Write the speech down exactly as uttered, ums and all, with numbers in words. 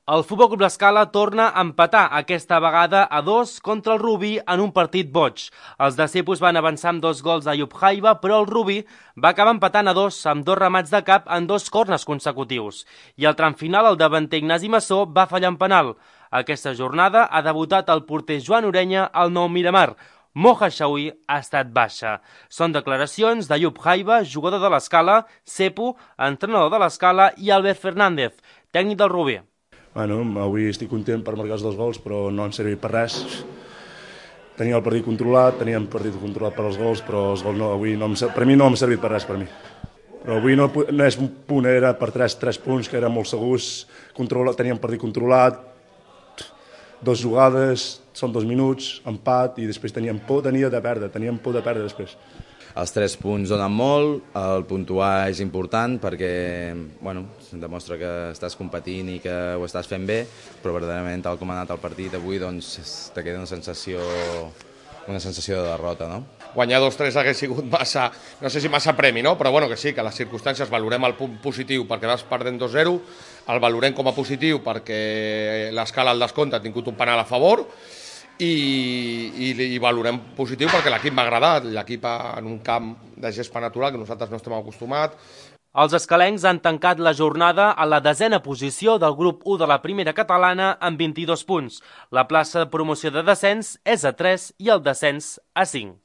El Futbol Club L'Escala torna a empatar, aquesta vegada a dos contra el Rubí en un partit boig. Els de Cepus van avançar amb dos gols d'Ayub Haiba, però el Rubí va acabar empatant a dos amb dos remats de cap en dos corners consecutius. I al tram final el davanter Ignasi Massó va fallar en penal. Aquesta jornada ha debutat el porter Joan Orenya al Nou Miramar. Moja Xaui ha estat baixa. Són declaracions d'Ayub Haiba, jugador de l'Escala, Cepu, entrenador de l'Escala, i Albert Fernández, tècnic del Rubí. Bueno, avui estic content per marcar els dos gols, però no han servit per res. Tenia el partit controlat, teníem el partit controlat per als gols, però els gols no, avui no, per mi no m'ha servit per res, per mi. Però avui no, no és un punt, era per tres, tres punts, que eren molt segurs, controla, teníem el partit controlat, dos jugades, són dos minuts, empat, i després teníem por, tenia de perdre, teníem por de perdre després. Els tres punts donen molt, el puntuar és important perquè bueno, demostra que estàs competint i que ho estàs fent bé, però verdaderament tal com ha anat el partit avui doncs te queda una sensació, una sensació de derrota, no? Guanyar dos tres hagués sigut massa, no sé si massa premi, no? Però bueno, que sí, que les circumstàncies valorem el punt positiu perquè vas perdent dos zero, el valorem com a positiu perquè l'Escala al descompte ha tingut un penal a favor, I, i, i valorem positiu perquè l'equip m'ha agradat, l'equip en un camp de gespa natural que nosaltres no estem acostumats. Els escalencs han tancat la jornada a la desena posició del grup u de la primera catalana amb vint-i-dos punts. La plaça de promoció de descens és a tres i el descens a cinc.